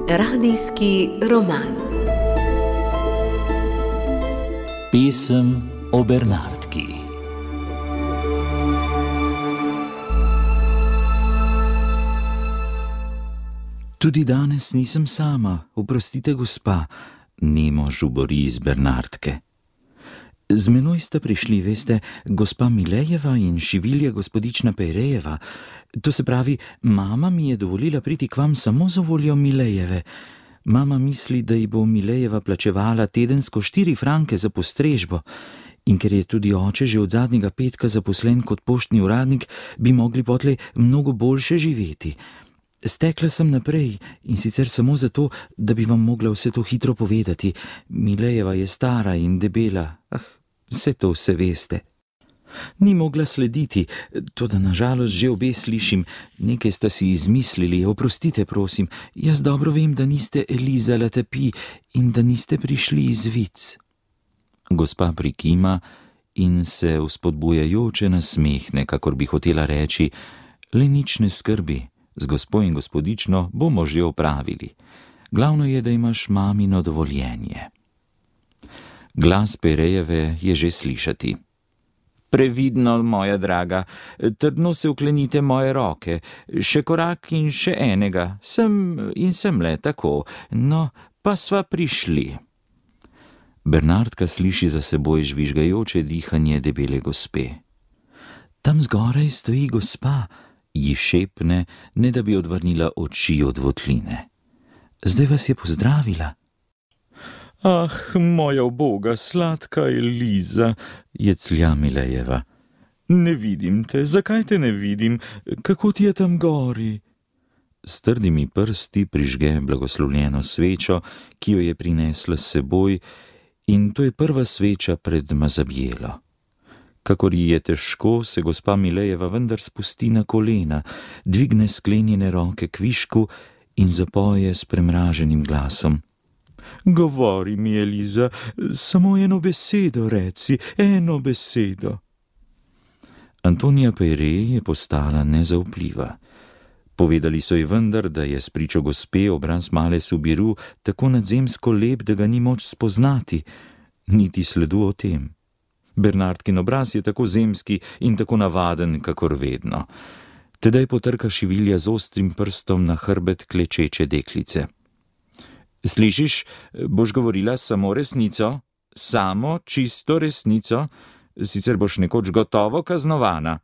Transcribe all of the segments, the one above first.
Radijski roman. Pesem o Bernardki. Tudi danes nisem sama, oprostite, gospa, nemo žubori iz Bernardke. Z menoj sta prišli, veste, gospa Milejeva in šivilja gospodična Pejrejeva. To se pravi, mama mi je dovolila priti k vam samo za voljo Milejeve. Mama misli, da ji bo Milejeva plačevala tedensko 4 franke za postrežbo. In ker je tudi oče že od zadnjega petka zaposlen kot poštni uradnik, bi mogli potlej mnogo boljše živeti. Stekla sem naprej in sicer samo zato, da bi vam mogla vse to hitro povedati. Milejeva je stara in debela, vse to vse veste. Ni mogla slediti, toda nažalost že obe slišim, nekaj sta si izmislili, oprostite prosim, jaz dobro vem, da niste Eliza Latapi in da niste prišli iz Vic. Gospa prikima in se vzpodbujajoče nasmehne, kakor bi hotela reči, le nič ne skrbi, z gospo in gospodično bomo že opravili. Glavno je, da imaš mamino dovoljenje. Glas Pejrejeve je že slišati. Previdno, moja draga, trdno se vklenite moje roke, še korak in še enega, sem le tako, no, pa sva prišli. Bernardka sliši za seboj žvižgajoče dihanje debele gospe. Tam zgoraj stoji gospa, ji šepne, ne da bi odvrnila oči od votline. Zdaj vas je pozdravila. Ah, moja uboga, sladka Eliza, jeclja Milejeva. Ne vidim te, zakaj te ne vidim, kako ti je tam gori? S trdimi prsti prižge blagoslovljeno svečo, ki jo je prinesla s seboj, in to je prva sveča pred Mazabjelo. Kakor ji je težko, se gospa Milejeva vendar spusti na kolena, dvigne sklenjene roke k višku in zapoje s premraženim glasom. Govori mi, Eliza, samo eno besedo reci, eno besedo. Antonija Pejrej je postala nezaupljiva. Povedali so ji vendar, da je spričo gospe obraz male Subiru tako nadzemsko lep, da ga ni moč spoznati, niti sledu o tem. Bernardkin obraz je tako zemski in tako navaden, kakor vedno. Tedaj potrka šivilja z ostrim prstom na hrbet klečeče deklice. Slišiš, boš govorila samo resnico, samo čisto resnico, sicer boš nekoč gotovo kaznovana.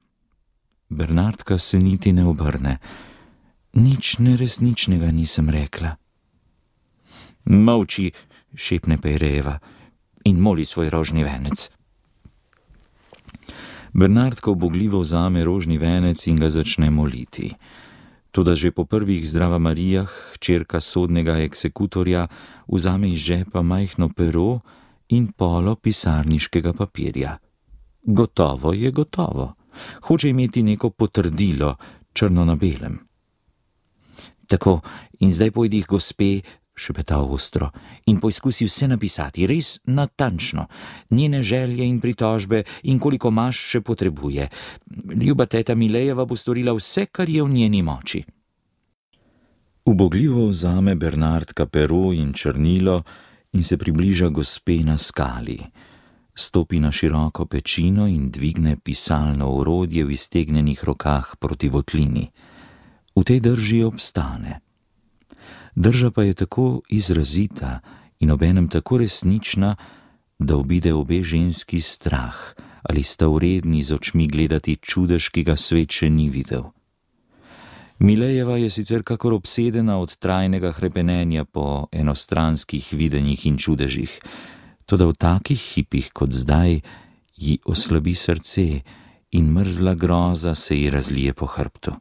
Bernardka se niti ne obrne. Nič neresničnega nisem rekla. Molči, šepne Pejrejeva, in moli svoj rožni venec. Bernardka ubogljivo vzame rožni venec in ga začne moliti. Toda že po prvih Zdrava Marijah hčerka sodnega eksekutorja vzame iz žepa majhno pero in polo pisarniškega papirja. Gotovo je gotovo. Hoče imeti neko potrdilo, črno na belem. Tako, in zdaj pojdi k gospe, šepeta ostro, in poizkusi vse napisati, res natančno, njene želje in pritožbe in koliko maš še potrebuje. Ljuba teta Milejeva bo storila vse, kar je v njeni moči. Ubogljivo vzame Bernardka pero in črnilo in se približa gospe na skali. Stopi na široko pečino in dvigne pisalno orodje v iztegnjenih rokah proti votlini. V tej drži obstane. Drža pa je tako izrazita in obenem tako resnična, da obide obe ženski strah, ali sta vredni z očmi gledati čudež, ki ga svet še ni videl. Milejeva je sicer kakor obsedena od trajnega hrepenenja po enostranskih videnjih in čudežih, toda v takih hipih kot zdaj ji oslabi srce in mrzla groza se ji razlije po hrbtu.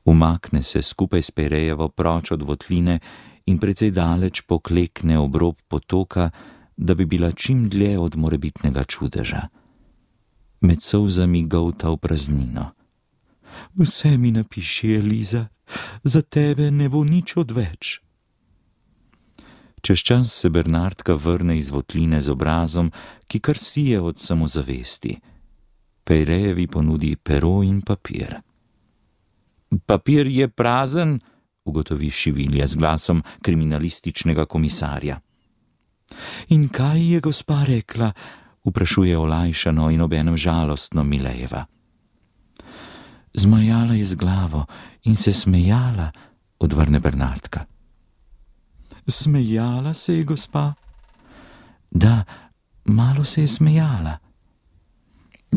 Umakne se skupaj s Pejrejevo proč od votline in precej daleč poklekne ob rob potoka, da bi bila čim dlje od morebitnega čudeža. Med solzami golta v praznino. Vse mi napiši, Eliza, za tebe ne bo nič odveč. Čez čas se Bernardka vrne iz votline z obrazom, ki kar sije od samozavesti. Pejrejevi ponudi pero in papir. Papir je prazen, ugotovi Šivilja z glasom kriminalističnega komisarja. In kaj je gospa rekla? Vprašuje olajšano in obenem žalostno Milejeva. Zmajala je z glavo in se smejala, odvrne Bernardka. Smejala se je gospa? Da, malo se je smejala.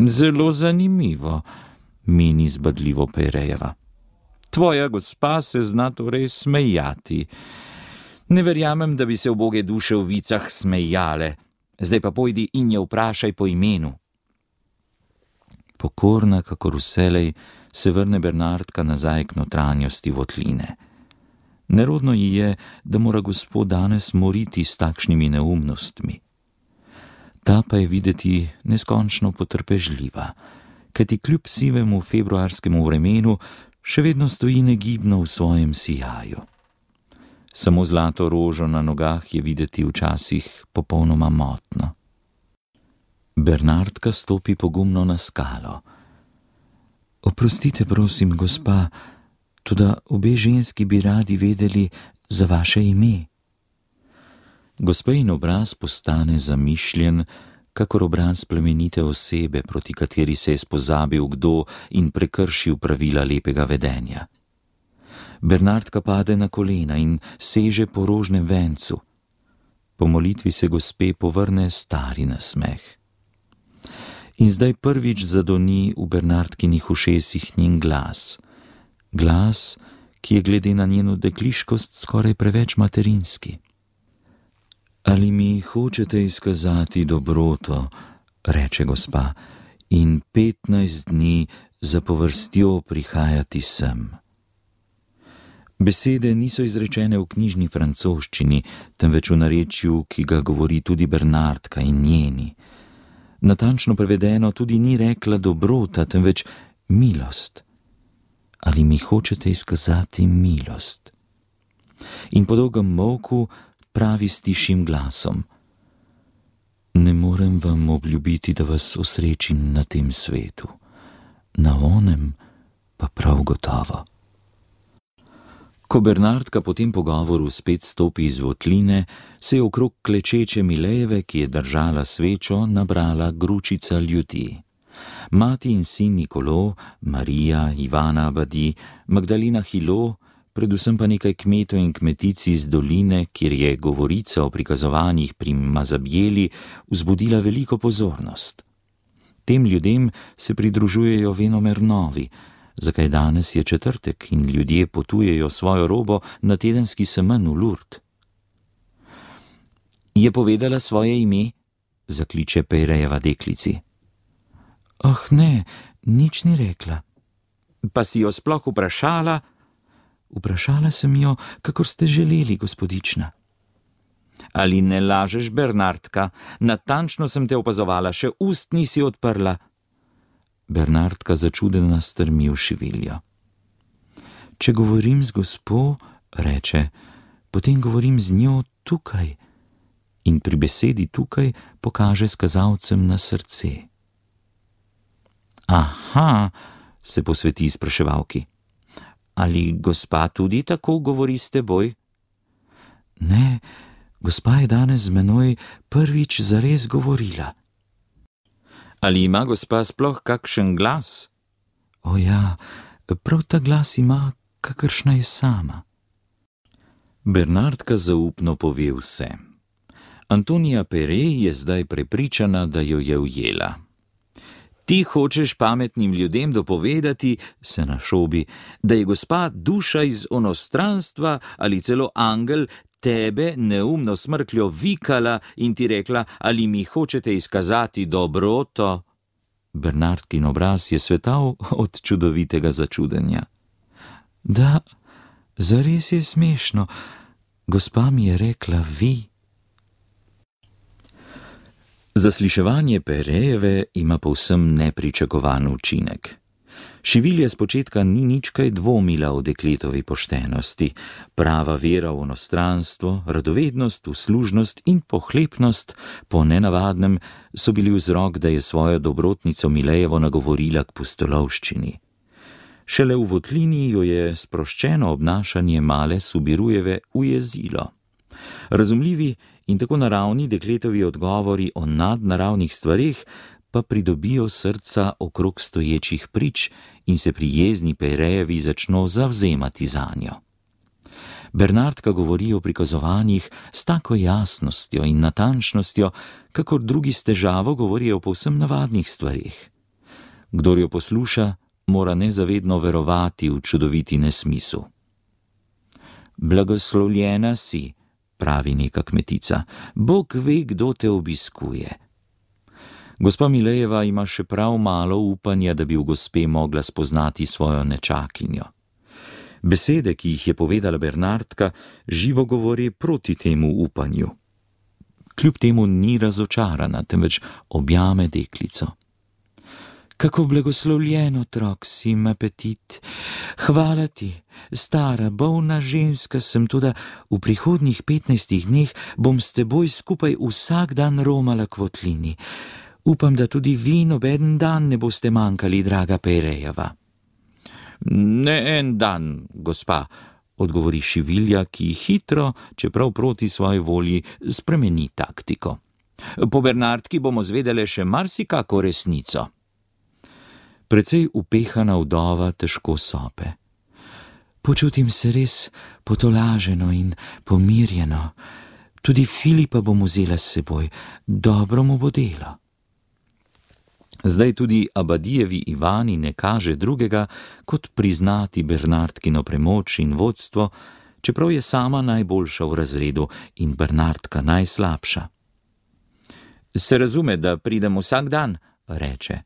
Zelo zanimivo, meni zbadljivo Pejrejeva. Tvoja gospa se zna torej smejati. Ne verjamem, da bi se uboge duše v vicah smejale. Zdaj pa pojdi in je vprašaj po imenu. Pokorna, kakor vselej, se vrne Bernardka nazaj k notranjosti votline. Nerodno ji je, da mora gospod danes moriti s takšnimi neumnostmi. Ta pa je videti neskončno potrpežljiva, kajti kljub sivemu februarskemu vremenu še vedno stoji negibno v svojem sijaju. Samo zlato rožo na nogah je videti včasih popolnoma motno. Bernardka stopi pogumno na skalo. Oprostite, prosim, gospa, toda obe ženski bi radi vedeli za vaše ime. Gospejin obraz postane zamišljen, kakor obraz plemenite osebe, proti kateri se je spozabil kdo in prekršil pravila lepega vedenja. Bernardka pade na kolena in seže po rožnem vencu. Po molitvi se gospe povrne stari nasmeh. In zdaj prvič zadoni v Bernardkinih ušesih njen glas. Glas, ki je glede na njeno dekliškost skoraj preveč materinski. Ali mi hočete izkazati dobroto, reče gospa, in 15 dni zapovrstjo prihajati sem. Besede niso izrečene v knjižni francoščini, temveč v narečju, ki ga govori tudi Bernardka in njeni. Natančno prevedeno tudi ni rekla dobrota, temveč milost. Ali mi hočete izkazati milost? In po dolgem molku pravi s tišim glasom. Ne morem vam obljubiti, da vas osrečim na tem svetu. Na onem pa prav gotovo. Ko Bernardka po tem pogovoru spet stopi iz votline, se je okrog klečeče Milejeve, ki je držala svečo, nabrala gručica ljudi. Mati in sin Nikolo, Marija, Ivana Abadi, Magdalena Hilo, predvsem pa nekaj kmetov in kmetic iz doline, kjer je govorica o prikazovanjih pri Mazabjeli vzbudila veliko pozornost. Tem ljudem se pridružujejo venomer novi, zakaj danes je četrtek in ljudje potujejo svojo robo na tedenski semenj v Lourdes. Je povedala svoje ime? Zakliče Pejrejeva deklici. Oh ne, nič ni rekla. Pa si jo sploh vprašala? Vprašala sem jo, kakor ste želeli, gospodična. Ali ne lažeš, Bernardka? Natančno sem te opazovala, še ust nisi odprla. Bernardka začudena strmi v Šiviljo. Če govorim z gospo, reče, potem govorim z njo tukaj. In pri besedi tukaj pokaže s kazalcem na srce. Aha, se posveti spraševalki. Ali gospa tudi tako govori s teboj? Ne, gospa je danes z menoj prvič zares govorila. Ali ima gospa sploh kakšen glas? O ja, prav ta glas ima, kakršna je sama. Bernardka zaupno pove vse. Antonija Peyre je zdaj prepričana, da jo je ujela. Ti hočeš pametnim ljudem dopovedati, se našobi, da je gospa duša iz onostranstva ali celo angel tebe neumno smrkljo vikala in ti rekla, ali mi hočete izkazati dobroto. Bernardkin obraz je svetal od čudovitega začudenja. Da, zares je smešno, gospa mi je rekla vi. Zasliševanje Peyrejeve ima povsem nepričakovan učinek. Šivilja spočetka ni nič kaj dvomila o dekletovi poštenosti. Prava vera v onostranstvo, radovednost, uslužnost in pohlepnost po nenavadnem so bili vzrok, da je svojo dobrotnico Milejevo nagovorila k pustolovščini. Šele v votlini jo je sproščeno obnašanje male Subirujeve ujezilo. Razumljivi in tako naravni dekletovi odgovori o nadnaravnih stvareh pa pridobijo srca okrog stoječih prič in se prijezni Pejrejevi začno zavzemati zanjo. Bernardka govori o prikazovanjih s tako jasnostjo in natančnostjo, kakor drugi s težavo govorijo o povsem navadnih stvareh. Kdor jo posluša, mora nezavedno verovati v čudoviti nesmisel. Blagoslovljena si, pravi neka kmetica, Bog ve, kdo te obiskuje. Gospa Milejeva ima še prav malo upanja, da bi v gospe mogla spoznati svojo nečakinjo. Besede, ki jih je povedala Bernardka, živo govori proti temu upanju. Kljub temu ni razočarana, temveč objame deklico. Kako blagoslovljen otrok si, apetit. Hvala ti, stara, bolna ženska sem, tudi v prihodnjih 15 dneh bom s teboj skupaj vsak dan romala k votlini. Upam, da tudi vi nobeden dan ne boste manjkali, draga Pejrejeva. Ne en dan, gospa, odgovori Šivilja, ki hitro, čeprav proti svoji volji, spremeni taktiko. Po Bernardki bomo zvedele še marsikako resnico. Precej upehana vdova težko sope. Počutim se res potolaženo in pomirjeno. Tudi Filipa bom vzela s seboj, dobro mu bo delo. Zdaj tudi Abadijevi Ivani ne kaže drugega, kot priznati Bernardkino premoč in vodstvo, čeprav je sama najboljša v razredu in Bernardka najslabša. Se razume, da pridem vsak dan, reče.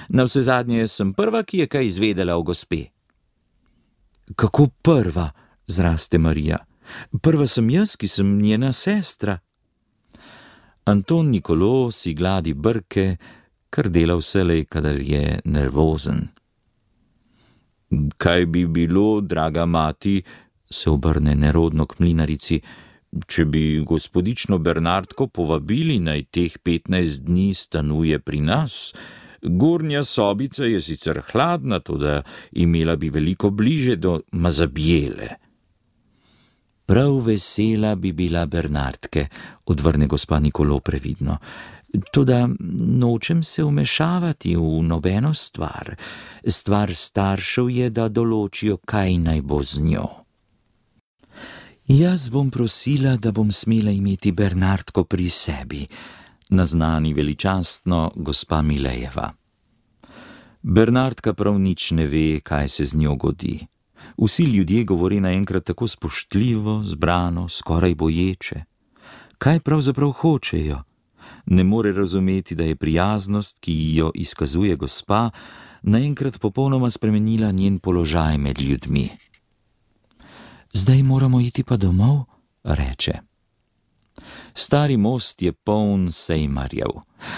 Navsezadnje sem prva, ki je kaj izvedela o gospe. Kako prva, zraste Marija. Prva sem jaz, ki sem njena sestra. Anton Nikolo si gladi brke, kar dela vselej, kadar je nervozen. Kaj bi bilo, draga mati, se obrne nerodno k mlinarici, če bi gospodično Bernardko povabili, naj teh 15 dni stanuje pri nas? Gornja sobica je sicer hladna, toda imela bi veliko bliže do Mazabjele. Prav vesela bi bila Bernardke, odvrne gospa Nikolo previdno. Toda nočem se vmešavati v nobeno stvar. Stvar staršev je, da določijo, kaj naj bo z njo. Jaz bom prosila, da bom smela imeti Bernardko pri sebi, naznani veličastno gospa Milejeva. Bernardka prav nič ne ve, kaj se z njo godi. Vsi ljudje govori naenkrat tako spoštljivo, zbrano, skoraj boječe. Kaj pravzaprav hočejo? Ne more razumeti, da je prijaznost, ki jo izkazuje gospa, naenkrat popolnoma spremenila njen položaj med ljudmi. Zdaj moramo iti pa domov, reče. Stari most je poln sejmarjev.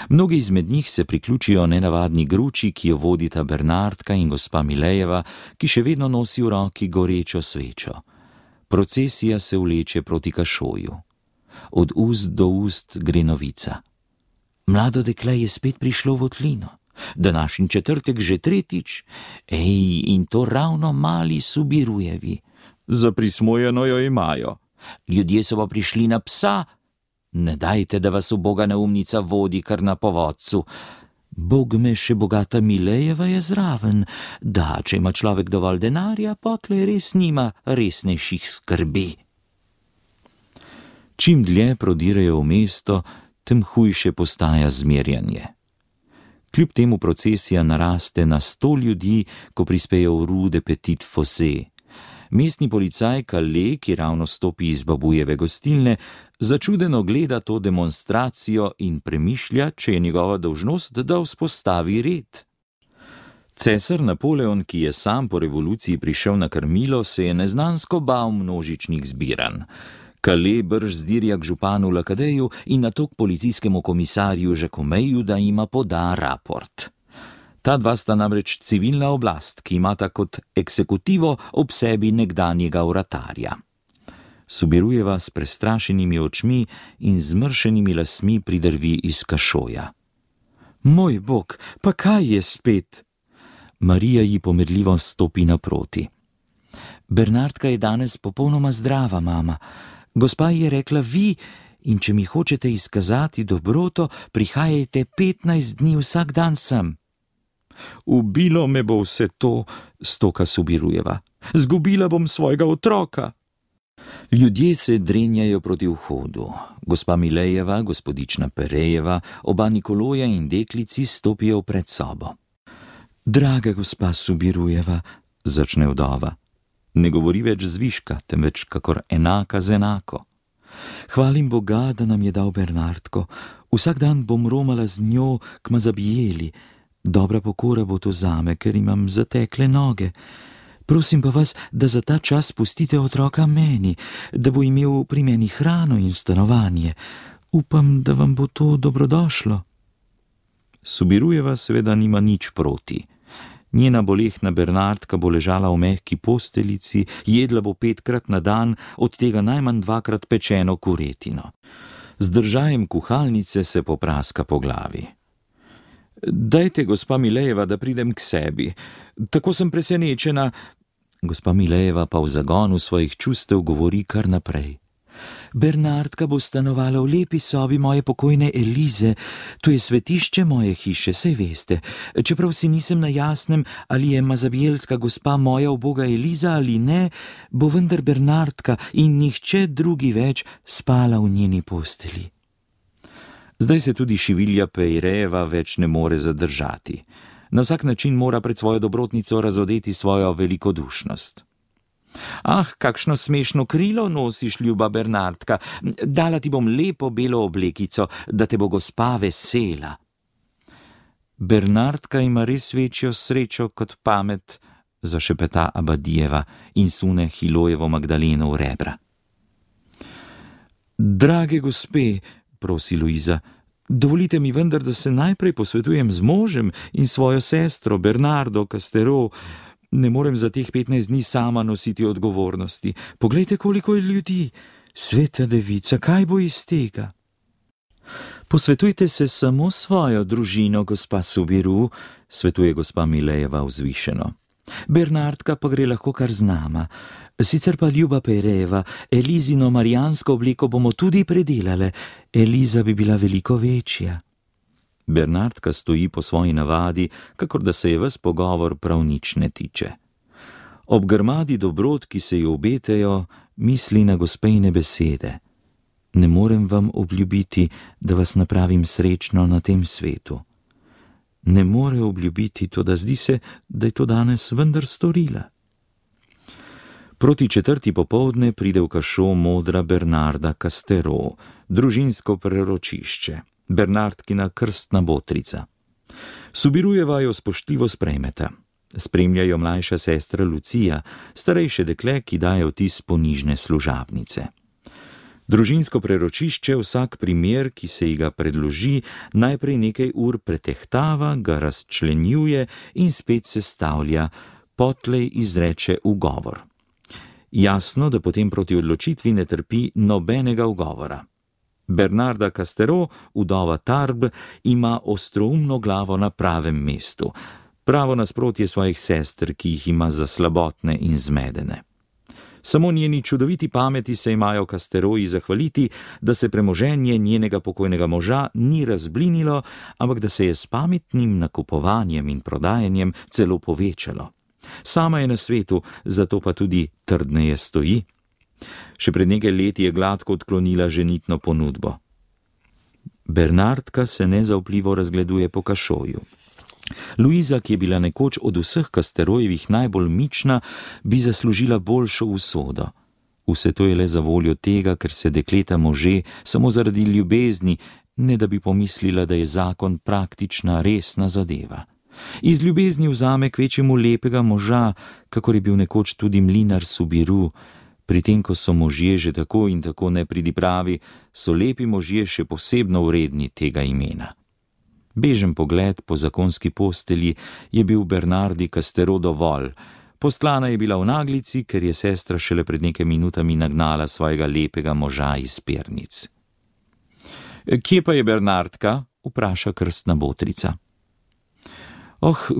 Mnogi izmed njih se priključijo nenavadni gruči, ki jo vodita Bernardka in gospa Milejeva, ki še vedno nosi v roki gorečo svečo. Procesija se vleče proti Kašoju. Od ust do ust gre novica. Mlado dekle je spet prišlo v votlino. Današnji četrtek že tretjič. In to ravno mali Subirujevi. Zaprismojeno jo imajo. Ljudje so pa prišli na psa. Ne dajte, da vas uboga neumnica vodi kar na povodcu. Bog me, še bogata Milejeva je zraven. Da, če ima človek dovolj denarja, potlej res nima resnejših skrbi. Čim dlje prodirajo v mesto, tem hujše postaja zmerjanje. Kljub temu procesija naraste na 100 ljudi, ko prispejo v Rue de Petit Fossé. Mestni policaj Kale, ki ravno stopi iz babujeve gostilne, začudeno gleda to demonstracijo in premišlja, če je njegova dolžnost, da vzpostavi red. Cesar Napoleon, ki je sam po revoluciji prišel na krmilo, se je neznansko bal množičnih zbiranj. Kale brž zdirja k županu Lakadeju in nato k policijskemu komisarju Žakomeju, da jima poda raport. Ta dva sta namreč civilna oblast, ki imata kot eksekutivo ob sebi nekdanjega vratarja. Subirujeva s prestrašenimi očmi in zmršenimi lasmi pridrvi iz kašoja. Moj bog, pa kaj je spet? Marija ji pomirljivo stopi naproti. Bernardka je danes popolnoma zdrava, mama. Gospa ji je rekla vi, in če mi hočete izkazati dobroto, prihajajte 15 dni vsak dan sem. Ubilo me bo vse to, stoka Subirujeva. Zgubila bom svojega otroka. Ljudje se drenjajo proti vhodu. Gospa Milejeva, gospodična Perejeva, oba Nikoloja in deklici stopijo v predsobo. Draga gospa Subirujeva, začne vdova. Ne govori več zviška, temveč kakor enaka z enako. Hvalim Boga, da nam je dal Bernardko. Vsak dan bom romala z njo k Mazabijeli. Dobra pokora bo to zame, ker imam zatekle noge. Prosim pa vas, da za ta čas pustite otroka meni, da bo imel pri meni hrano in stanovanje. Upam, da vam bo to dobrodošlo. Subirujeva seveda nima nič proti. Njena bolehna Bernardka bo ležala v mehki posteljici, jedla bo 5krat na dan, od tega najmanj 2krat pečeno kuretino. Z držajem kuhalnice se popraska po glavi. Dajte, gospa Milejeva, da pridem k sebi. Tako sem presenečena. Gospa Milejeva pa v zagonu svojih čustev govori kar naprej. Bernardka bo stanovala v lepi sobi moje pokojne Elize. To je svetišče moje hiše, saj veste. Čeprav si nisem na jasnem, ali je mazabijelska gospa moja uboga Eliza ali ne, bo vendar Bernardka in nihče drugi več spala v njeni posteli. Zdaj se tudi Šivilja Pejrejeva več ne more zadržati. Na vsak način mora pred svojo dobrotnico razodeti svojo velikodušnost. Ah, kakšno smešno krilo nosiš, ljuba Bernardka. Dala ti bom lepo belo oblekico, da te bo gospa vesela. Bernardka ima res večjo srečo kot pamet, zašepeta Abadijeva in sune Hilojevo Magdaleno v rebra. Drage gospe, prosi Luiza, dovolite mi vendar, da se najprej posvetujem z možem in svojo sestro Bernardo Castero. Ne morem za teh 15 dni sama nositi odgovornosti. Poglejte, koliko je ljudi. Sveta devica, kaj bo iz tega? Posvetujte se samo svojo družino, gospa Subiru, svetuje gospa Milejeva vzvišeno. Bernardka pa gre lahko kar z nama. Sicer pa ljuba Perejeva, Elizino marijansko obliko bomo tudi predelale. Eliza bi bila veliko večja. Bernardka stoji po svoji navadi, kakor da se je ves pogovor prav nič ne tiče. Ob grmadi dobrot, ki se ji obetejo, misli na gospejne besede. Ne morem vam obljubiti, da vas napravim srečno na tem svetu. Ne more obljubiti, toda zdi se, da je to danes vendar storila. Proti 4. popoldne pride v kašo modra Bernarda Castero, družinsko preročišče. Bernardkina krstna botrica. Subirujeva jo spoštljivo sprejmeta. Spremljajo mlajša sestra Lucija, starejše dekle, ki daje vtis ponižne služabnice. Družinsko preročišče vsak primer, ki se ji ga predloži, najprej nekaj ur pretehtava, ga razčlenjuje in spet sestavlja, potlej izreče ugovor. Jasno, da potem proti odločitvi ne trpi nobenega ugovora. Bernarda Castero, vdova Tarb, ima ostroumno glavo na pravem mestu, pravo nasprotje svojih sester, ki jih ima za slabotne in zmedene. Samo njeni čudoviti pameti se imajo Casteroji zahvaliti, da se premoženje njenega pokojnega moža ni razblinilo, ampak da se je s pametnim nakupovanjem in prodajanjem celo povečalo. Sama je na svetu, zato pa tudi trdneje stoji. Še pred nekaj leti je gladko odklonila ženitno ponudbo. Bernardka se nezaupljivo razgleduje po kašoju. Luiza, ki je bila nekoč od vseh Casterojevih najbolj mična, bi zaslužila boljšo usodo. Vse to je le za voljo tega, ker se dekleta može samo zaradi ljubezni, ne da bi pomislila, da je zakon praktična, resna zadeva. Iz ljubezni vzame kvečjemu lepega moža, kakor je bil nekoč tudi mlinar Subiru. Pri tem, ko so možje že tako in tako nepridipravi, so lepi možje še posebno vredni tega imena. Bežen pogled po zakonski postelji je bil Bernardi Castero dovolj. Postlana je bila v naglici, ker je sestra šele pred nekaj minutami nagnala svojega lepega moža iz pernic. Kje pa je Bernardka? Vpraša krstna botrica.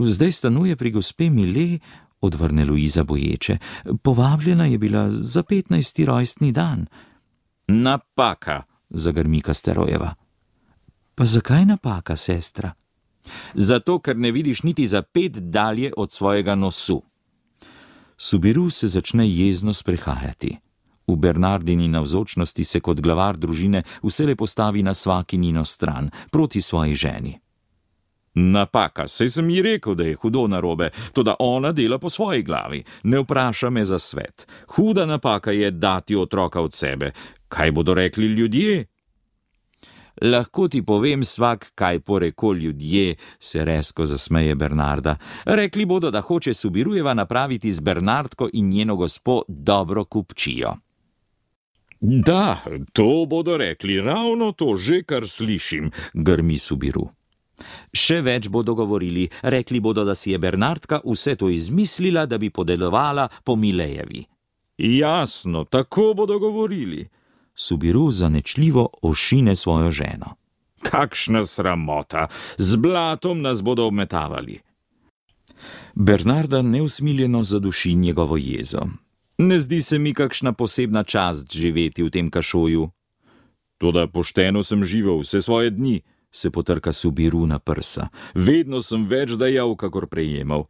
Zdaj stanuje pri gospe Mile, odvrne Luiza boječe. Povabljena je bila za 15. rojstni dan. Napaka, zagrmi Casterojeva. Pa zakaj napaka, sestra? Zato, ker ne vidiš niti za 5 dalje od svojega nosu. Subiru se začne jezno sprehajati. V Bernardini navzočnosti se kot glavar družine vselej postavi na Svakinino stran, proti svoji ženi. Napaka, saj sem ji rekel, da je hudo narobe, toda ona dela po svoji glavi, ne vpraša me za svet. Huda napaka je dati otroka od sebe. Kaj bodo rekli ljudje? Lahko ti povem svak, kaj poreko ljudje, se rezko zasmeje Bernarda. Rekli bodo, da hoče Subirujeva napraviti z Bernardko in njeno gospo dobro kupčijo. Da, to bodo rekli, ravno to že, kar slišim, grmi Subiru. Še več bodo govorili, rekli bodo, da si je Bernardka vse to izmislila, da bi podelovala po Milejevi. Jasno, tako bodo govorili. Subiru zanečljivo ošine svojo ženo. Kakšna sramota, z blatom nas bodo obmetavali. Bernarda neusmiljeno zaduši njegovo jezo. Ne zdi se mi kakšna posebna čast živeti v tem kašoju. Toda pošteno sem živel vse svoje dni, se potrka Subiru na prsa. Vedno sem več dajal, kakor prejemal.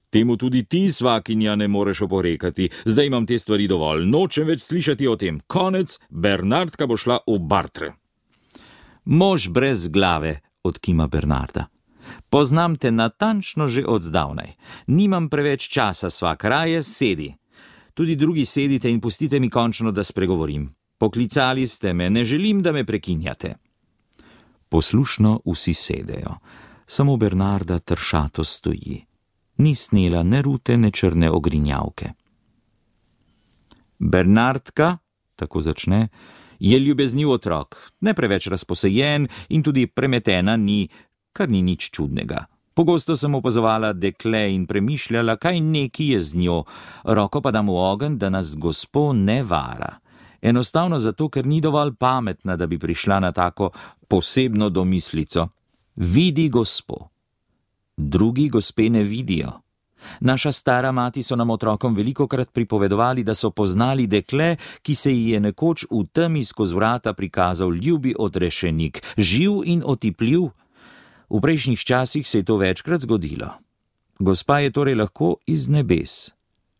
Temu tudi ti, svakinja, ne moreš oporekati. Zdaj imam te stvari dovolj, nočem več slišati o tem. Konec, Bernardka bo šla v bartre. Mož brez glave, odkima Bernarda. Poznam te natančno že od zdavnaj. Nimam preveč časa, svak, raje sedi. Tudi drugi sedite in pustite mi končno, da spregovorim. Poklicali ste me, ne želim, da me prekinjate. Poslušno vsi sedejo. Samo Bernarda tršato stoji. Ni snela ne rute, ne črne ogrinjavke. Bernardka, tako začne, je ljubezniv otrok, ne preveč razposejen in tudi premetena ni, kar ni nič čudnega. Pogosto sem opazovala dekle in premišljala, kaj neki je z njo, roko pa dam v ogenj, da nas gospo ne vara. Enostavno zato, ker ni dovolj pametna, da bi prišla na tako posebno domislico. Vidi gospo. Drugi gospe ne vidijo. Naša stara mati so nam otrokom velikokrat pripovedovali, da so poznali dekle, ki se ji je nekoč v temi skozi vrata prikazal ljubi odrešenik, živ in otipljiv. V prejšnjih časih se je to večkrat zgodilo. Gospa je torej lahko iz nebes.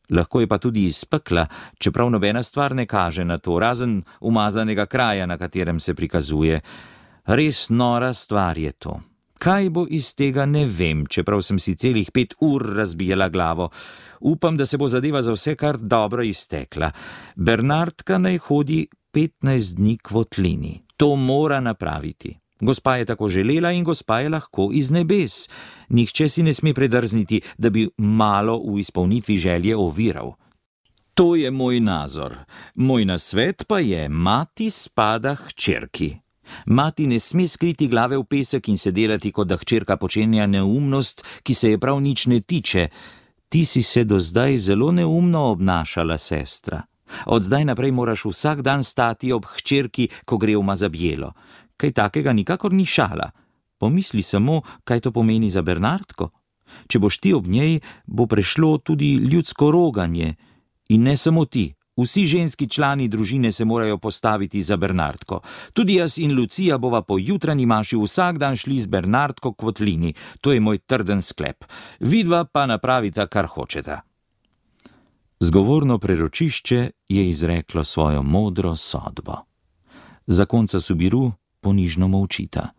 Lahko je pa tudi iz pekla, čeprav nobena stvar ne kaže na to, razen umazanega kraja, na katerem se prikazuje. Res nora stvar je to. Kaj bo iz tega, ne vem, čeprav sem si celih 5 ur razbijala glavo. Upam, da se bo zadeva za vse kar dobro iztekla. Bernardka naj hodi 15 dni k votlini. To mora napraviti. Gospa je tako želela in gospa je lahko iz nebes. Nihče si ne sme predrzniti, da bi malo v izpolnitvi želje oviral. To je moj nazor. Moj nasvet pa je, mati spada hčerki. Mati ne sme skriti glave v pesek in se delati, kot da hčerka počenja neumnost, ki se je prav nič ne tiče. Ti si se do zdaj zelo neumno obnašala, sestra. Od zdaj naprej moraš vsak dan stati ob hčerki, ko gre v mazabjelo. Kaj takega nikakor ni šala. Pomisli samo, kaj to pomeni za Bernardko. Če boš ti ob njej, bo prešlo tudi ljudsko roganje. In ne samo ti. Vsi ženski člani družine se morajo postaviti za Bernardko. Tudi jaz in Lucija bova po jutranji maši vsak dan šli z Bernardko k votlini. To je moj trden sklep. Vidva pa napravita, kar hočeta. Zgovorno preročišče je izreklo svojo modro sodbo. Zakonca Subiru ponižno molčita.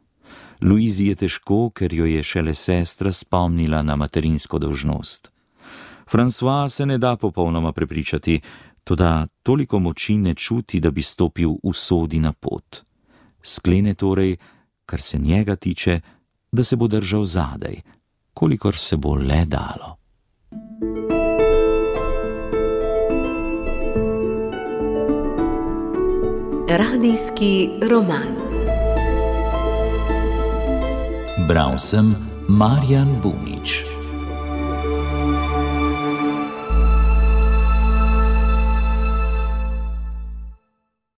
Luizi je težko, ker jo je šele sestra spomnila na materinsko dolžnost. François se ne da popolnoma prepričati, toda toliko moči ne čuti, da bi stopil v sodi na pot. Sklene torej, kar se njega tiče, da se bo držal zadaj, kolikor se bo le dalo. Radijski roman. Bral sem Marjan Bunič.